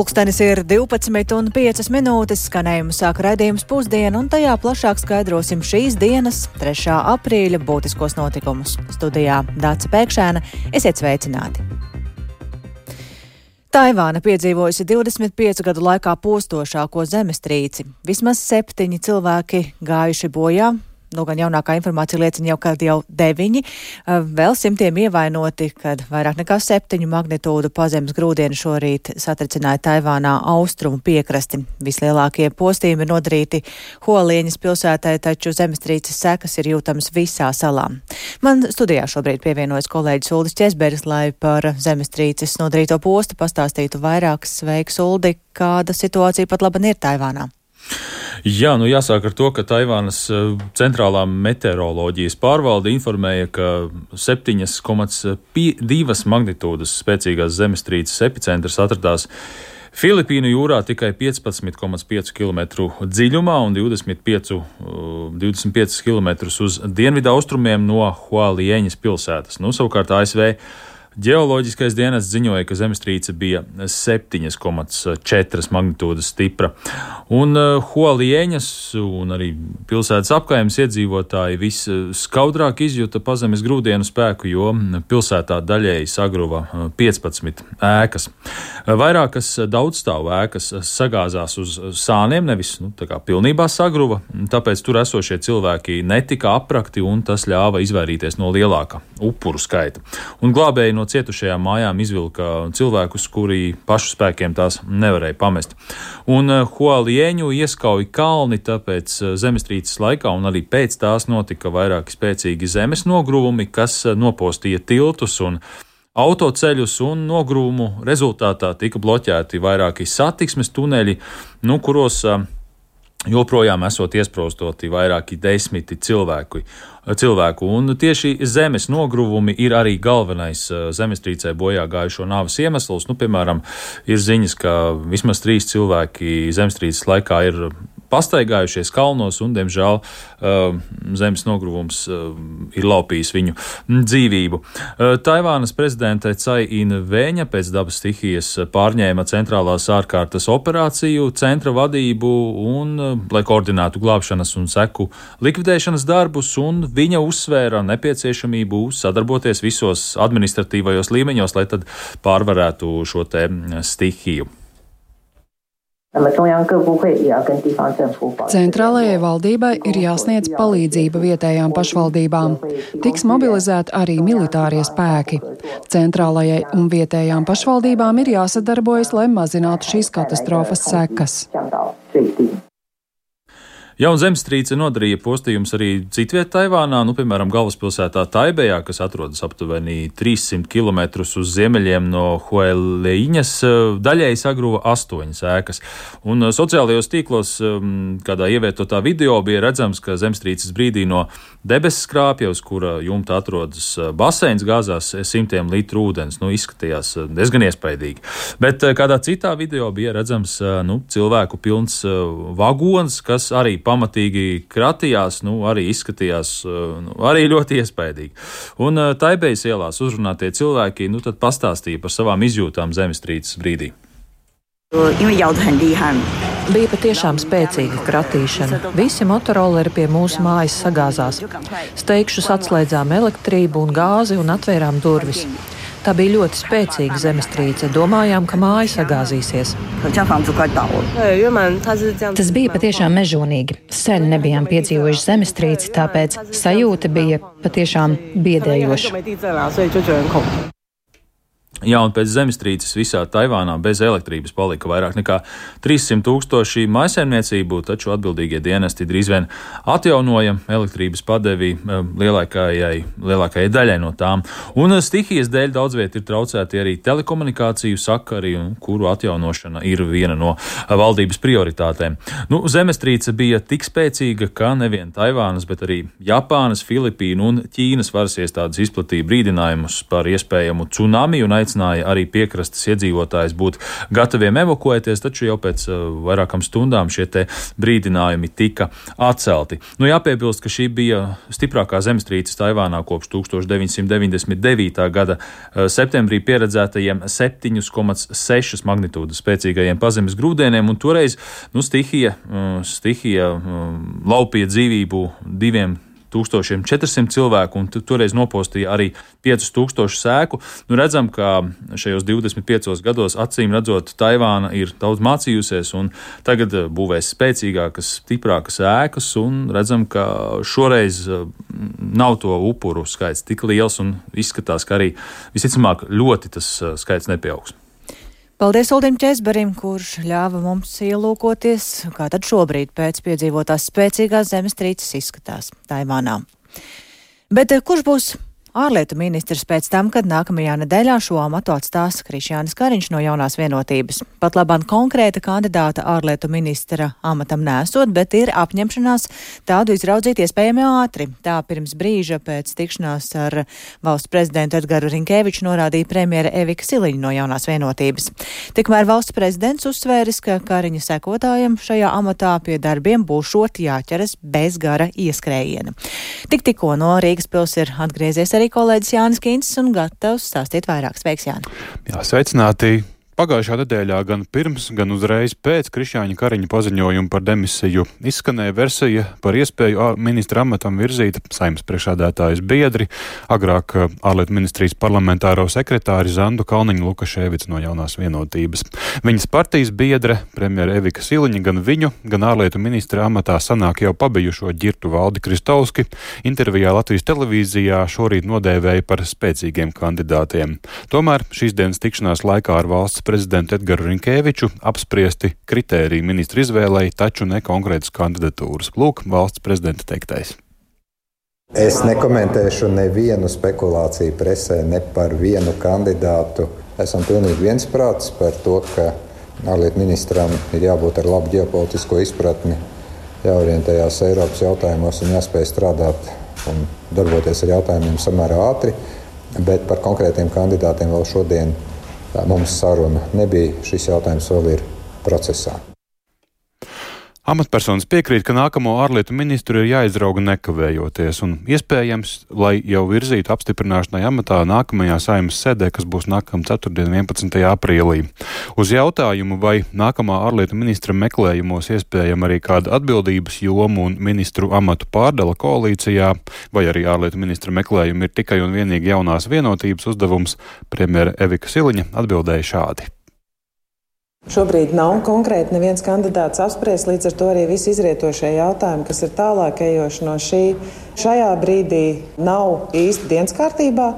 Pulkstenis ir 12:05, skanējumu sāk raidījums Pusdiena, un tajā plašāk skaidrosim šīs dienas, 3. aprīļa būtiskos notikumus. Studijā Dāca Pēkšēna, esiet sveicināti! Taivāna piedzīvojusi 25 gadu laikā postošāko zemestrīci. Vismaz 7 cilvēki gājuši bojā. Gan jaunākā informācija liecina ka jau 9, vēl simtiem ievainoti, kad vairāk nekā 7 magnitūdu pazemes grūdieni šorīt satricināja Taivānā austrumu piekrasti. Vislielākie postījumi ir nodarīti Hualieņas pilsētai, taču zemestrīces sekas ir jūtamas visā salā. Man studijā šobrīd pievienojas kolēģis Uldis Česberis, lai par zemestrīces nodarīto postu pastāstītu vairāk. Sveiks, Uldi! Kāda situācija pat laban ir Taivānā? Jā, jāsāk ar to, ka Taivānas centrālā meteoroloģijas pārvalde informēja, ka 7,2 magnitūdas spēcīgās zemestrīces epicentrs atradās Filipīnu jūrā tikai 15,5 km dziļumā un 25 km uz dienvidu austrumiem no Hualieņas pilsētas. Savukārt ASV Ģeoloģiskais dienests ziņoja, ka zemestrīce bija 7,4 magnitūdas stipra. Un Hualieņas un arī pilsētas apkaimes iedzīvotāji viskaudrāk izjuta pazemes grūdienu spēku, jo pilsētā daļēji sagruva 15 ēkas. Vairākas daudzstāvu ēkas sagāzās uz sāniem, nevis pilnībā sagruva, tāpēc tur esošie cilvēki netika aprakti, un tas ļāva izvairīties no lielāka upuru skaita. Un glābēji no cietušajām mājām izvilka cilvēkus, kuri pašu spēkiem tās nevarēja pamest. Un Hualieņu ieskauja kalni, tāpēc zemestrīces laikā un arī pēc tās notika vairāki spēcīgi zemes nogruvumi, kas nopostīja tiltus un autoceļus, un nogrūmu rezultātā tika bloķēti vairāki satiksmes tuneļi, kuros joprojām esot iesprostoti vairāki 10 cilvēku. Un tieši zemes nogruvumi ir arī galvenais zemestrīcē bojā gājušo nāves iemesls. Piemēram, ir ziņas, ka vismaz 3 cilvēki zemestrīces laikā ir pastaigājušies kalnos, un, diemžēl, zemes nogruvums ir laupījis viņu dzīvību. Taivānas prezidente Cai In-veņa pēc dabas stihijas pārņēma centrālās ārkārtas operāciju centra vadību, un, lai koordinētu glābšanas un seku likvidēšanas darbus, un viņa uzsvēra nepieciešamību sadarboties visos administratīvajos līmeņos, lai tad pārvarētu šo te stihiju. Centrālajai valdībai ir jāsniedz palīdzība vietējām pašvaldībām. Tiks mobilizēti arī militārie spēki. Centrālajai un vietējām pašvaldībām ir jāsadarbojas, lai mazinātu šīs katastrofas sekas. Jauna zemestrīce nodarīja postījumus arī citviet Taivānā, piemēram, galvaspilsētā Taibejā, kas atrodas aptuveni 300 km uz ziemeļiem no Hualieņas, daļēji sagruva 8 ēkas. Un sociālajos tīklos, kādā ievietotā video, bija redzams, ka zemestrīces brīdī no debesu skrāpja, uz kura jumta atrodas baseins, gāzās simtiem litru ūdens. Izskatījās diezgan iespaidīgi. Bet kādā citā video bija redzams cilvēku pilns vagons, kas arī pamatīgi kratījās, arī izskatījās arī ļoti iespaidīgi. Un Taibejas ielās uzrunātie cilvēki tad pastāstīja par savām izjūtām zemestrīces brīdī. Bija patiešām spēcīga kratīšana. Visi motoroleri pie mūsu mājas sagāzās. Steigšus atslēdzām elektrību un gāzi un atvērām durvis. Tā bija ļoti spēcīga zemestrīce. Domājām, ka māja sagāzīsies. Tas bija patiešām mežonīgi. Sen nebijām piedzīvojuši zemestrīci, tāpēc sajūta bija patiešām biedējoša. Jā, un pēc zemestrīces visā Taivānā bez elektrības palika vairāk nekā 300 000 mājsaimniecību, taču atbildīgie dienesti drīz vien atjaunoja elektrības padevi lielākajai daļai no tām. Un stihijas dēļ daudz viet ir traucēti arī telekomunikāciju sakari, kuru atjaunošana ir viena no valdības prioritātēm. Zemestrīce bija tik spēcīga, ka nevien Taivānas, bet arī Japānas, Filipīnu un Ķīnas varas iestādes izplatīja brīdinājumus par iespējamu tsunami un aicināja arī piekrastes iedzīvotājus būt gataviem evakuēties, taču jau pēc vairākām stundām šie te brīdinājumi tika atcelti. Jāpiebilst, ka šī bija stiprākā zemestrīce Taivānā kopš 1999. gada septembrī pieredzētajiem 7,6 magnitūdas spēcīgajiem pazemes grūdieniem, un toreiz stihija laupīja dzīvību 2400 cilvēku, un toreiz nopostīja arī 5000 sēku. Redzam, ka šajos 25 gados acīm redzot Taivāna ir daudz mācījusies, un tagad būvēs spēcīgākas, stiprākas ēkas, un redzam, ka šoreiz nav to upuru skaits tik liels, un izskatās, ka arī visticamāk ļoti tas skaits nepieaugs. Paldies Uldim Česberim, kurš ļāva mums ielūkoties, kā tad šobrīd pēc piedzīvotās spēcīgās zemestrīces izskatās Taivānā. Bet kurš būs ārlietu ministrs pēc tam, kad nākamajā nedēļā šo amatu atstās Krišjānis Kariņš no Jaunās Vienotības? Pat labāk konkrēta kandidāta ārlietu ministra amatam nesot, bet ir apņemšanās tādu izraudzīt iespējami ātri. Tā pirms brīža pēc tikšanās ar valsts prezidentu Edgaru Rinkēviču norādīja premjere Evika Siliņa no Jaunās Vienotības. Tikmēr valsts prezidents uzsvēris, ka Kariņa sekotājiem šajā amatā pie darbiem būšot jāķeras bez gara ieskrējiena. Tikko no Rīgas pils ir atgriezies arī kolēģis Jānis Kīncis un gatavs stāstīt vairāk. Sveiks, Jāni! Jā, sveicināti! Pagājušā nedēļā gan pirms, gan uzreiz pēc Krišjāņa Kariņa paziņojuma par demisiju izskanēja versija par iespēju ministra amatam virzīt Saeimas priekšsēdētājas biedri, agrāk ārlietu ministrijas parlamentāro sekretāri Zandu Kalniņu-Lukaševicu no Jaunās Vienotības. Viņas partijas biedre, premjere Evika Siliņa, gan viņu, gan ārlietu ministra amatā sanāk jau pabijušo ģirtu Valdi Kristovski, intervijā Latvijas televīzijā šorīt nodēvēja par spēcīgiem kandidātiem. Tomēr šīs dienas tikšanās laikā ar valsts prezidentu Edgaru Rinkēviču apspriesti kritēriju ministru izvēlei, taču ne konkrētas kandidatūras. Lūk, valsts prezidenta teiktais. Es nekomentēšu nevienu spekulāciju presē, ne par vienu kandidātu. Esam pilnīgi viensprātis par to, ka ārlietu ministram ir jābūt ar labu ģeopolitisko izpratni, jāorientējās Eiropas jautājumos un jāspēj strādāt un darboties ar jautājumiem samērā ātri, bet par konkrētiem kandidātiem vēl šodien mums saruna nebija. Šis jautājums vēl ir procesā. Amatpersonas piekrīt, ka nākamo ārlietu ministru ir jāizrauga nekavējoties un iespējams, lai jau virzītu apstiprināšanai amatā nākamajā Saeimas sēdē, kas būs nākamā ceturtdien 11. aprīlī. Uz jautājumu, vai nākamā ārlietu ministra meklējumos iespējama arī kāda atbildības jomu un ministru amatu pārdala koalīcijā, vai arī ārlietu ministra meklējumi ir tikai un vienīgi Jaunās Vienotības uzdevums, premjere Evika Siliņa atbildēja šādi. Šobrīd nav konkrēti neviens kandidāts apspriests, līdz ar to arī visi izrietošie jautājumi, kas ir tālāk ejoši no šajā brīdī nav īsti dienas kārtībā.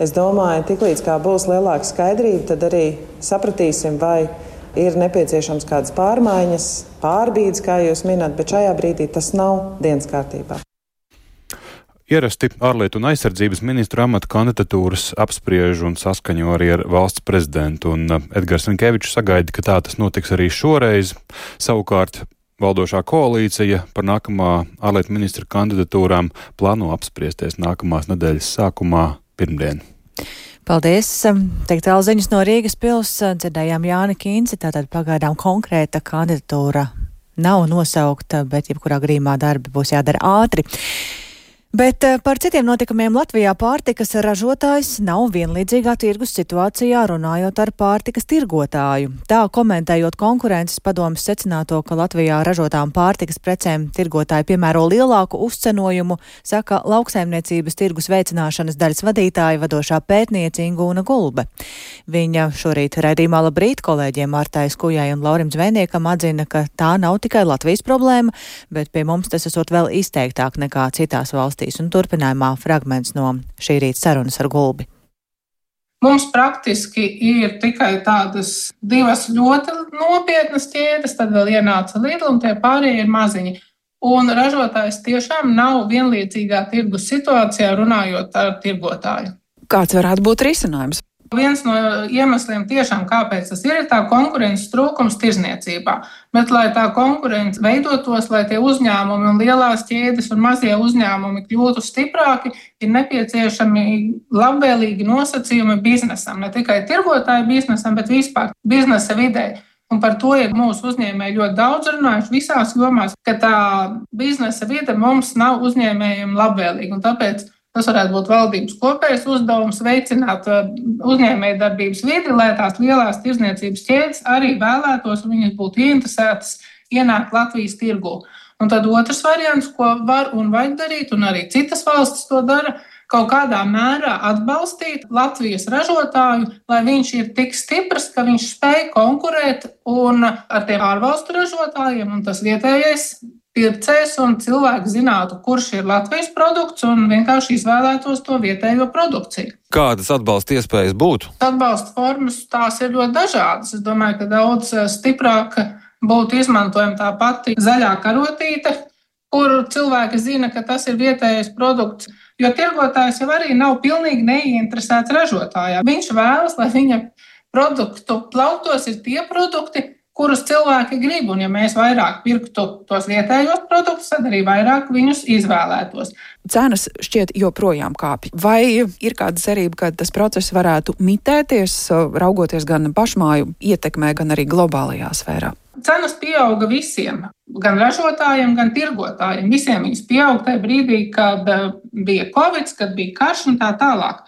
Es domāju, tiklīdz kā būs lielāka skaidrība, tad arī sapratīsim, vai ir nepieciešams kādas pārmaiņas, pārbīdes, kā jūs minat, bet šajā brīdī tas nav dienas kārtībā. Ierasti ārlietu un aizsardzības ministru amata kandidatūras apspriež un saskaņo arī ar valsts prezidentu, un Edgars Rinkēvičs sagaida, ka tā tas notiks arī šoreiz. Savukārt valdošā koalīcija par nākamā ārlietu ministra kandidatūrām plāno apspriesties nākamās nedēļas sākumā pirmdien. Paldies! Teikt tālziņas no Rīgas pils, dzirdējām Jāni Kīnci, tātad pagaidām konkrēta kandidatūra nav nosaukta, bet jebkurā gadījumā darbi būs jādara ātri. Bet par citiem notikumiem Latvijā pārtikas ražotājs nav vienlīdzīgā tirgus situācijā, runājot ar pārtikas tirgotāju. Tā komentējot konkurences padomes secināto, ka Latvijā ražotām pārtikas precēm tirgotāji piemēro lielāku uzcenojumu, saka lauksaimniecības tirgus veicināšanas daļas vadītāja vadošā pētniece Ingūna Gulbe. Viņa šorīt raidījumā Labrīt kolēģiem Martai Skujai un Laurim Zvejniekam atzina, ka tā nav tikai Latvijas problēma, bet pie mums tas esot vēl izteiktāk nekā citās valstīs. Un turpinājumā fragments no šī rīta sarunas ar Gulbi. Mums praktiski ir tikai tādas divas ļoti nopietnas ķēdes, tad vēl ienāca Lidl un tie pārējie ir maziņi. Un ražotājs tiešām nav vienlīdzīgā tirgus situācijā runājot ar tirgotāju. Kāds varētu būt risinājums? viens no iemesliem tiešām, kāpēc tas ir tā konkurences trūkums tirzniecībā. Bet, lai tā konkurence veidotos, lai tie uzņēmumi un lielās ķēdes un mazie uzņēmumi kļūtu stiprāki, ir nepieciešami labvēlīgi nosacījumi biznesam. Ne tikai tirgotāju biznesam, bet vispār biznesa vidē. Un par to ir mūsu uzņēmēji ļoti daudz runājuši visās jomās, ka tā biznesa vide mums nav uzņēmējiem labvēlīga. Un tāpēc tas varētu būt valdības kopējs uzdevums veicināt uzņēmēju darbības vidi, lai tās lielās tirdzniecības ķēdes arī vēlētos un viņas būtu ieinteresētas ienākt Latvijas tirgū. Un tad otrs variants, ko var un vajag darīt, un arī citas valstis to dara, kaut kādā mērā atbalstīt Latvijas ražotāju, lai viņš ir tik stiprs, ka viņš spēj konkurēt un ar tiem ārvalstu ražotājiem, un tas vietējais pircējs un cilvēki zinātu, kurš ir Latvijas produkts un vienkārši izvēlētos to vietējo produkciju. Kādas atbalsta iespējas būtu? Atbalsta formas tās ir ļoti dažādas. Es domāju, ka daudz stiprāk būtu izmantojama tā pati zaļā karotīte, kur cilvēki zina, ka tas ir vietējais produkts, jo tirgotājs jau arī nav pilnīgi neinteresēts ražotājā. Viņš vēlas, lai viņa produktu plauktos ir tie produkti, kurus cilvēki grib, un ja mēs vairāk pirktu tos vietējos produktus, tad arī vairāk viņus izvēlētos. Cenas šķiet joprojām kāpj. Vai ir kāda cerība, ka tas process varētu mitēties, raugoties gan pašmāju ietekmē, gan arī globālajā sfērā? Cenas pieauga visiem, gan ražotājiem, gan tirgotājiem. Visiem viņas pieauga tajā brīdī, kad bija Covid, kad bija karš un tā tālāk.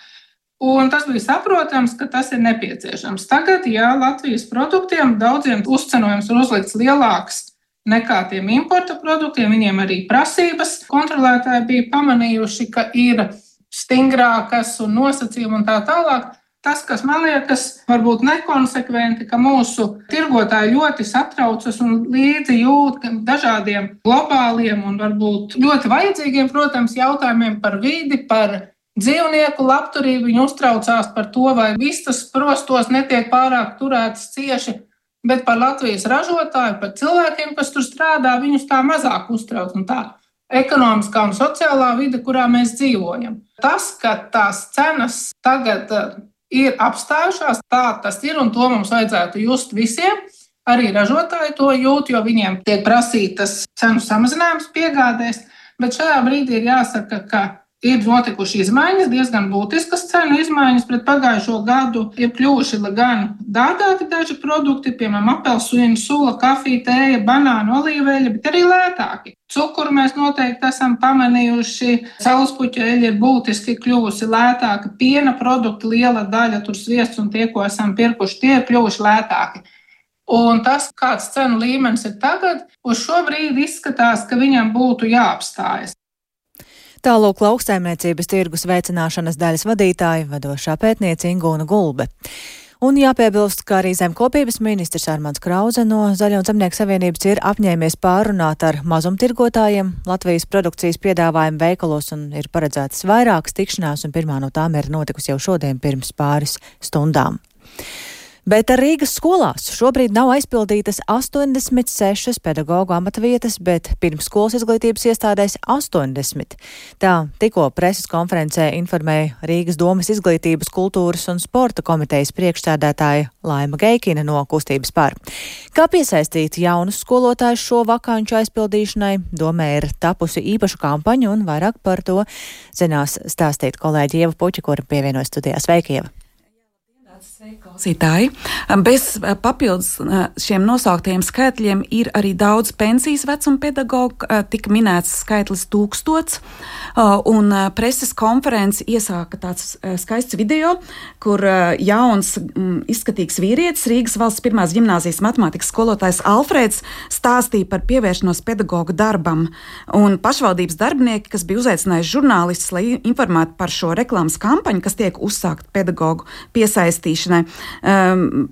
Un tas bija saprotams, ka tas ir nepieciešams. Tagad, ja Latvijas produktiem daudziem uzcenojums ir uzlikts lielāks nekā tiem importa produktiem, viņiem arī prasības kontrolētāji bija pamanījuši, ka ir stingrākas un nosacījumi un tā tālāk. Tas, kas man liekas varbūt nekonsekventi, ka mūsu tirgotāji ļoti satraucas un līdzi jūt dažādiem globāliem un varbūt ļoti vajadzīgiem, protams, jautājumiem par vidi, par dzīvnieku labturību. Viņi uztraucās par to, vai vistas prostos netiek pārāk turētas cieši, bet par Latvijas ražotāju, par cilvēkiem, kas tur strādā, viņus tā mazāk uztrauc un tā ekonomiskā un sociālā vide, kurā mēs dzīvojam. Tas, ka tās cenas tagad ir apstājušās, tā tas ir, un to mums vajadzētu just visiem. Arī ražotāji to jūt, jo viņiem tiek prasītas cenu samazinājums piegādēs, bet šajā brīdī ir jāsaka, ka ir notikuši izmaiņas, diezgan būtiskas cenu izmaiņas. Pret pagājušo gadu ir kļuvuši gan dārgāki daži produkti, piemēram, apelsīnu, sula, kafija, tēja, banānu, olīveļa, bet arī lētāki. Cukuru mēs noteikti esam pamanījuši, saulespuķa eļļa ir būtiski kļuvusi lētāka, piena produkti liela daļa, tur sviests un tie, ko esam pirkuši, tie ir kļuvuši lētāki. Un tas, kāds cenu līmenis ir tagad, uz šo brīdi izskatās, ka viņam būtu jāapstājas. Tālūk lauksaimniecības tirgus veicināšanas daļas vadītāja, vadošā pētniece Ingūna Gulbe. Un jāpiebilst, ka arī zemkopības ministrs Armands Krauze no Zaļo un Zemnieku savienības ir apņēmies pārunāt ar mazumtirgotājiem Latvijas produkcijas piedāvājumu veikalos un ir paredzētas vairākas tikšanās, un pirmā no tām ir notikusi jau šodien pirms pāris stundām. Bet ar Rīgas skolās šobrīd nav aizpildītas 86 pedagoģu amatvietas, bet pirmsskolas izglītības iestādēs 80. Tā tikko preses konferencē informēja Rīgas domas izglītības, kultūras un sporta komitejas priekšsēdētāja Laima Geikina no Kustības par. Kā piesaistīt jaunus skolotājus šo vakanču aizpildīšanai, domē ir tapusi īpaša kampaņa, un vairāk par to zinās stāstīt kolēģi Ieva Puķa, kura pievienojas studijā. Sveika, Ieva! Klausītāji, bez papildus šiem nosauktajiem skaitļiem ir arī daudz pensijas vecuma pedagogu, tika minēts skaitlis 1000, un preses konferenci iesāka tāds skaists video, kur jauns izskatīgs vīrietis, Rīgas valsts pirmās ģimnāzijas matemātikas skolotājs Alfrēds, stāstīja par pievēršanos pedagogu darbam, un pašvaldības darbinieki, kas bija uzaicinājuši žurnālistus, lai informētu par šo reklāmas kampaņu, kas tiek uzsākt pedagogu piesaistīšanai,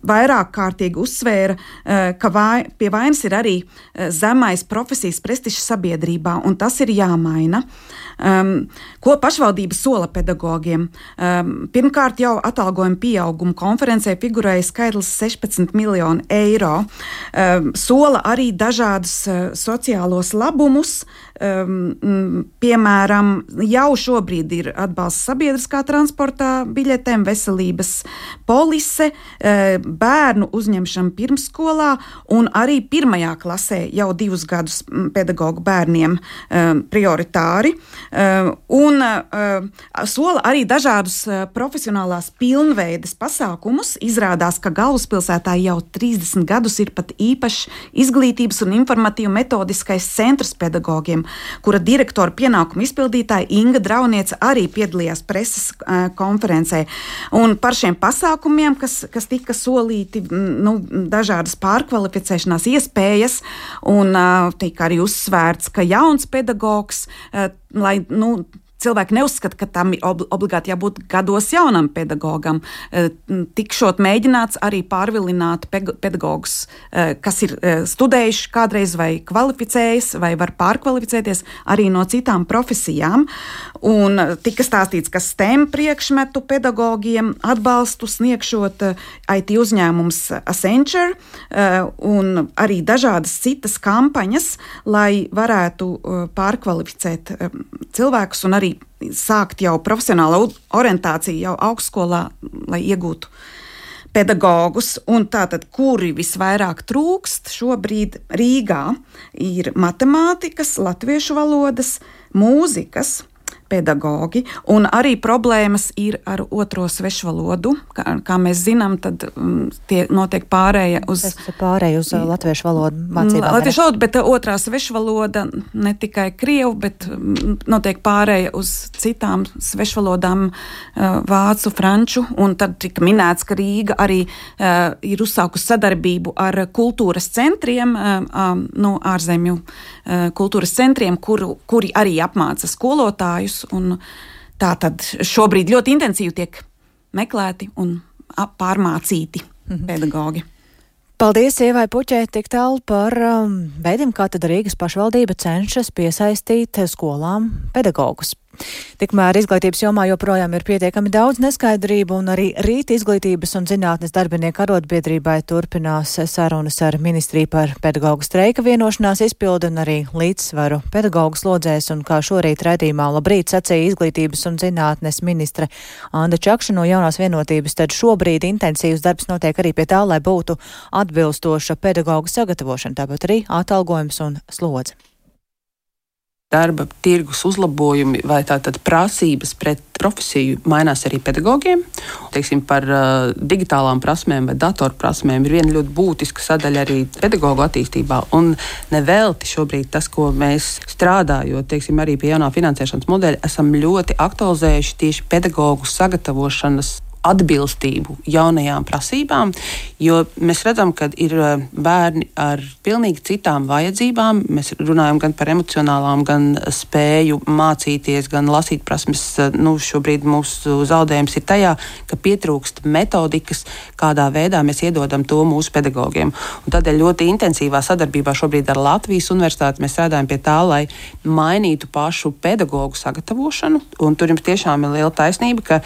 vairāk kārtīgi uzsvēra, ka pie vainas ir arī zemais profesijas prestižs sabiedrībā, un tas ir jāmaina. Ko pašvaldība sola pedagogiem? Pirmkārt, jau atalgojuma pieauguma konferencē figurēja skaitlis 16 miljonu eiro. Sola arī dažādus sociālos labumus piemēram, jau šobrīd ir atbalsts sabiedriskā transportā biļetēm, veselības polise, bērnu uzņemšana pirmsskolā un arī 1. klasē jau 2 gadus pedagogu bērniem prioritāri. Un sola arī dažādus profesionālās pilnveides pasākumus. Izrādās, ka galvaspilsētā jau 30 gadus ir pat īpašs izglītības un informatīvu metodiskais centrs pedagogiem, kura direktora pienākumu izpildītāja Inga Drauniece arī piedalījās preses konferencē. Un par šiem pasākumiem, kas tika solīti, dažādas pārkvalificēšanās iespējas, un tika arī uzsvērts, ka jauns pedagogs, lai, cilvēki neuzskata, ka tam ir obligāti jābūt gados jaunam pedagogam. Tikšot mēģināts arī pārvilināt pedagogus, kas ir studējuši kādreiz vai kvalificējas, vai var pārkvalificēties arī no citām profesijām. Un tika stāstīts, ka STEM priekšmetu pedagogiem atbalstu sniegšot IT uzņēmums Accenture un arī dažādas citas kampaņas, lai varētu pārkvalificēt cilvēkus un arī sākt jau profesionālu orientāciju jau augstskolā, lai iegūtu pedagogus. Un tātad, kuri visvairāk trūkst šobrīd Rīgā, ir matemātikas, latviešu valodas, mūzikas pedagogi, un arī problēmas ir ar otro svešvalodu. Kā mēs zinām, tad tie notiek pārēja uz latviešu valodu mācībām. Latviešu valodu, bet otrā svešvaloda ne tikai krievu, bet notiek pārēja uz citām svešvalodām, vācu, franču, un tad tika minēts, ka Rīga arī ir uzsākusi sadarbību ar kultūras centriem, ārzemju kultūras centriem, kuri arī apmāca skolotājus. Un tā tad šobrīd ļoti intensīvi tiek meklēti un pārmācīti pedagogi. Paldies Ievai Puķei tik tālu par veidiem, kā tad Rīgas pašvaldība cenšas piesaistīt skolām pedagogus. Tikmēr izglītības jomā joprojām ir pietiekami daudz neskaidrību, un arī rīt Izglītības un zinātnes darbinieku arotbiedrībai turpinās sarunas ar ministriju par pedagogu streika vienošanās izpildi un arī līdzsvaru pedagogu slodzēs, un kā šorīt raidījumā Labrīt sacīja Izglītības un zinātnes ministre Anda Čakša no Jaunās vienotības, tad šobrīd intensīvs darbs notiek arī pie tā, lai būtu atbilstoša pedagogu sagatavošana, tāpat arī atalgojums un slodze. Darba tirgus uzlabojumi vai tātad prasības pret profesiju mainās arī pedagogiem. Teiksim, par digitālām prasmēm vai datoru prasmēm ir viena ļoti būtiska sadaļa arī pedagogu attīstībā. Un nevelti šobrīd tas, ko mēs strādājot, teiksim, arī pie jaunā finansēšanas modeļa, esam ļoti aktualizējuši tieši pedagogu sagatavošanas atbilstību jaunajām prasībām, jo mēs redzam, ka ir bērni ar pilnīgi citām vajadzībām. Mēs runājam gan par emocionālām, gan spēju mācīties, gan lasīt prasmes. Šobrīd mūsu zaudējums ir tajā, ka pietrūkst metodikas, kādā veidā mēs iedodam to mūsu pedagogiem. Un tādēļ ļoti intensīvā sadarbībā šobrīd ar Latvijas universitāti mēs strādājam pie tā, lai mainītu pašu pedagogu sagatavošanu. Un tur jums tiešām ir liela taisnība, ka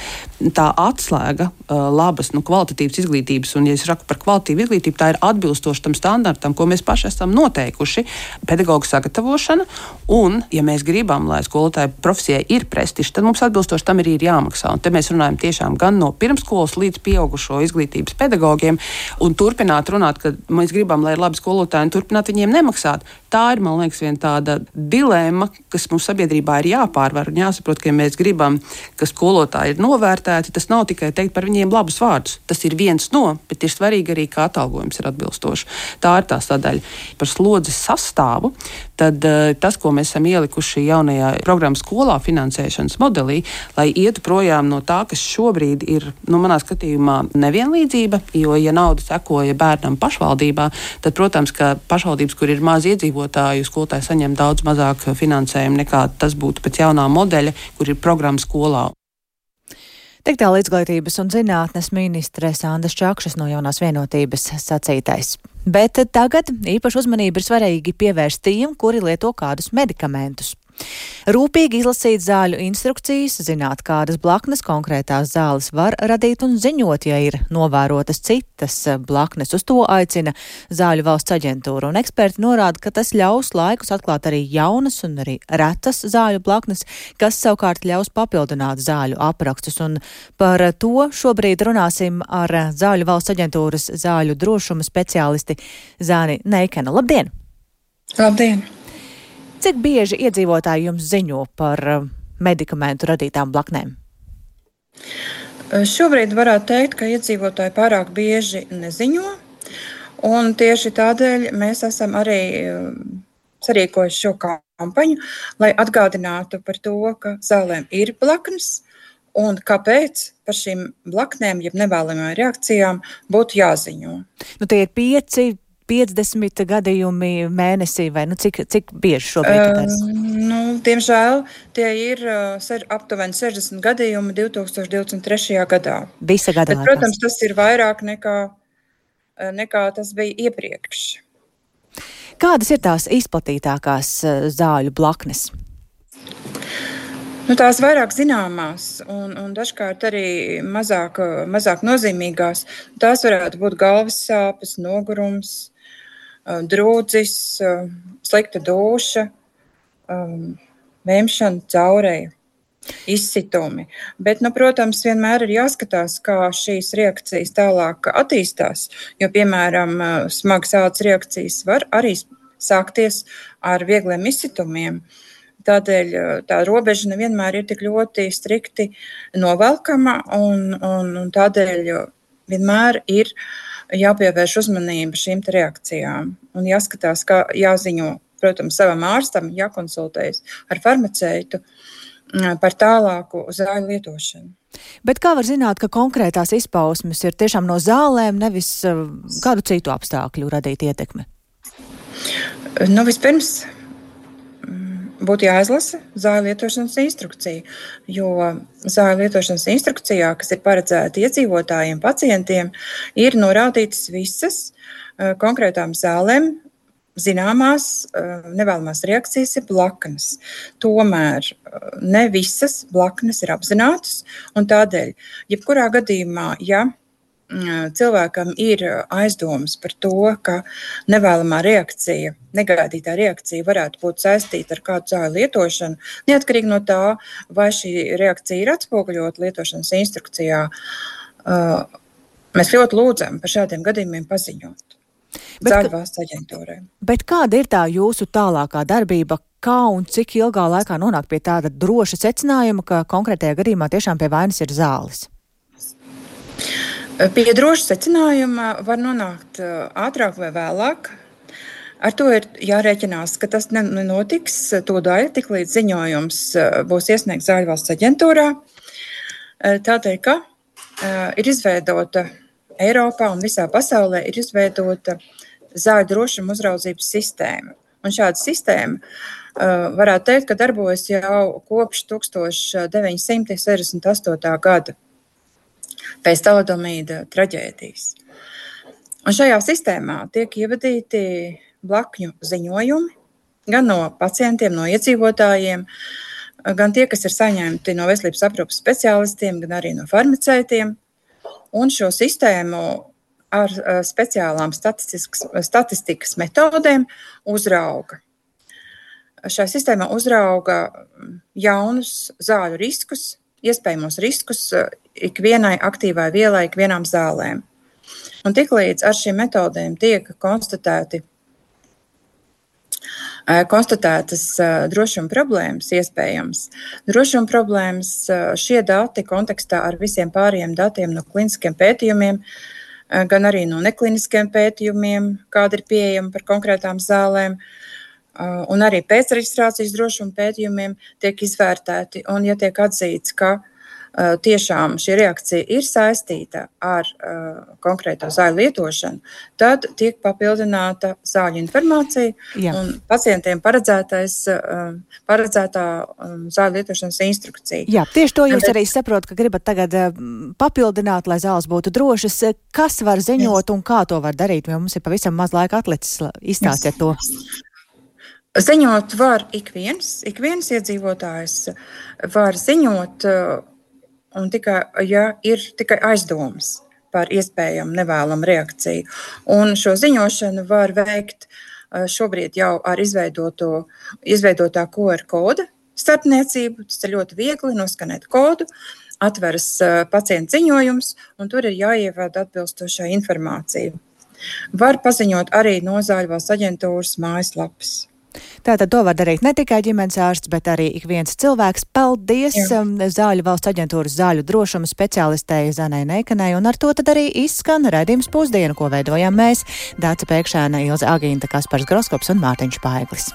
tā atslēga labas, kvalitatīvas izglītības, un, ja es saku par kvalitatīvu izglītību, tā ir atbilstoši tam standartam, ko mēs paši esam noteikuši, pedagogu sagatavošana, un, ja mēs gribam, lai skolotāju profesijai ir prestižs, tad mums atbilstoši tam arī ir jāmaksā. Un te mēs runājam tiešām gan no pirmskolas līdz pieaugušo izglītības pedagogiem, un turpināt runāt, ka mēs gribam, lai ir labi skolotāji, un turpināt viņiem nemaksāt. Tā ir, man liekas, viena tāda dilemma, kas mums sabiedrībā ir jāpārvar un jāsaprot, ka, ja mēs gribam, ka skolotāji ir novērtēti, tas nav tikai teikt par viņiem labus vārdus. Tas ir viens no, bet ir svarīgi arī, kā atalgojums ir atbilstoši. Tā ir tā sadaļa. Par slodzes sastāvu, tad tas, ko mēs esam ielikuši jaunajā programmas skolā finansēšanas modelī, lai ietu projām no tā, kas šobrīd ir, manā skatījumā, nevienlīdzība, jo, ja nauda sekoja bērnam pašvaldībā, tad, protams, ka pašvaldības, kur ir maz iedzīvotāju, skolotāji saņem daudz mazāk finansējumu nekā tas būtu pēc jaunā modeļa, kur ir programma skolā. Tik tālu Izglītības un zinātnes ministres Andas Čakšas no Jaunās vienotības sacītais. Bet tagad īpaši uzmanību ir svarīgi pievērst tiem, kuri lieto kādus medikamentus. Rūpīgi izlasīt zāļu instrukcijas, zināt, kādas blaknes konkrētās zāles var radīt un ziņot, ja ir novērotas citas blaknes. Uz to aicina Zāļu valsts aģentūra, un eksperti norāda, ka tas ļaus laikus atklāt arī jaunas un arī retas zāļu blaknes, kas savukārt ļaus papildināt zāļu aprakstus. Un par to šobrīd runāsim ar Zāļu valsts aģentūras zāļu drošuma speciālisti Zāni Neikena. Labdien! Labdien! Cik bieži iedzīvotāji jums ziņo par medikamentu radītām blaknēm? Šobrīd varētu teikt, ka iedzīvotāji pārāk bieži neziņo, un tieši tādēļ mēs esam arī sarīkojuši šo kampaņu, lai atgādinātu par to, ka zālēm ir blaknes, un kāpēc par šīm blaknēm, jeb nevēlamajām reakcijām, būtu jāziņo. Tie ir 50 gadījumi mēnesī, vai cik bieži šobrīd tas? Diemžēl tie ir aptuveni 60 gadījumi 2023. gadā. Visa gada laikā. Protams, tas ir vairāk nekā tas bija iepriekš. Kādas ir tās izplatītākās zāļu blaknes? Tās vairāk zināmās un dažkārt arī mazāk nozīmīgās. Tās varētu būt galvas sāpes, nogurums, drūdzis, slikta dūša, vēmšana, caureja, izsitumi. Bet, protams, vienmēr ir jāskatās, kā šīs reakcijas tālāk attīstās, jo, piemēram, smagas ādas reakcijas var arī sākties ar viegliem izsitumiem. Tādēļ tā robeža nevienmēr ir tik ļoti strikti novelkama, un tādēļ vienmēr ir jāpievērš uzmanība šīm reakcijām. Un jāskatās, kā jāziņo, protams, savam ārstam, jākonsultējas ar farmaceitu par tālāku zāļu lietošanu. Bet kā var zināt, ka konkrētās izpausmes ir tiešām no zālēm, nevis kādu citu apstākļu radīt ietekmi? Vispirms būtu jāizlasa zāļu lietošanas instrukcija, jo zāļu lietošanas instrukcijā, kas ir paredzēta iedzīvotājiem, pacientiem, ir norādītas visas konkrētām zālēm zināmās nevēlamās reakcijas ir blaknes. Tomēr ne visas blaknes ir apzinātas, un tādēļ, jebkurā gadījumā, ja cilvēkam ir aizdomas par to, ka nevēlamā reakcija, negaidītā reakcija varētu būt saistīta ar kādu zāļu lietošanu, neatkarīgi no tā, vai šī reakcija ir atspoguļota lietošanas instrukcijā, mēs ļoti lūdzam par šādiem gadījumiem paziņot Zāļu valsts aģentūrai. Bet kāda ir tā jūsu tālākā darbība? Kā un cik ilgā laikā nonāk pie tāda droša secinājuma, ka konkrētajā gadījumā tiešām pie vainas ir zāles? Pie droša secinājuma var nonākt ātrāk vai vēlāk. Ar to ir jārēķinās, ka tas nenotiks tūdaļ, tik līdz ziņojums būs iesniegts Zāļu valsts aģentūrā. Tādēļ, ka ir izveidota Eiropā un visā pasaulē ir izveidota zāļu drošuma uzraudzības sistēma. Un šāda sistēma varētu teikt, ka darbojas jau kopš 1968. gada. Pēc talidomīda traģēdijas. Un šajā sistēmā tiek ievadīti blakņu ziņojumi gan no pacientiem, no iedzīvotājiem, gan tie, kas ir saņemti no veselības aprūpes speciālistiem, gan arī no farmaceitiem. Un šo sistēmu ar speciālām statistikas metodēm uzrauga. Šajā sistēmā uzrauga jaunus zāļu riskus, iespējamos riskus ikvienai aktīvai vielai, ikvienām zālēm. Un tiklīdz ar šīm metodēm tiek konstatētas drošuma problēmas iespējams. Drošuma problēmas šie dati kontekstā ar visiem pārējiem datiem no kliniskiem pētījumiem, gan arī no nekliniskiem pētījumiem, kāda ir pieejama par konkrētām zālēm, un arī pēcreģistrācijas drošuma pētījumiem tiek izvērtēti. Un ja tiek atzīts, ka tiešām šī reakcija ir saistīta ar konkrēto zāļu lietošanu, tad tiek papildināta zāļu informācija un pacientiem paredzētā zāļu lietošanas instrukcija. Jā, tieši to jūs arī saprotat, ka gribat tagad papildināt, lai zāles būtu drošas. Kas var ziņot un kā to var darīt, jo mums ir pavisam maz laika atlicis, izstāstiet to. Ziņot var ik viens iedzīvotājs var ziņot, un tikai, ja ir tikai aizdomas par iespējamu nevēlamu reakciju. Un šo ziņošanu var veikt šobrīd jau ar izveidotā QR koda starpniecību. Tas ir ļoti viegli noskanēt kodu, atveras pacienta ziņojums, un tur ir jāievada atbilstošā informācija. Var paziņot arī no Zāļu valsts aģentūras mājaslapas. Tātad to var darīt ne tikai ģimenes ārsts, bet arī ik viens cilvēks. Paldies Zāļu valsts aģentūras zāļu drošuma speciālistei Zanai Neikanai, un ar to tad arī izskan raidījums Pusdiena, ko veidojām mēs, Dāca Pēkšēna, Ilze Agīnta, Kaspars Groskops un Mārtiņš Paeglis.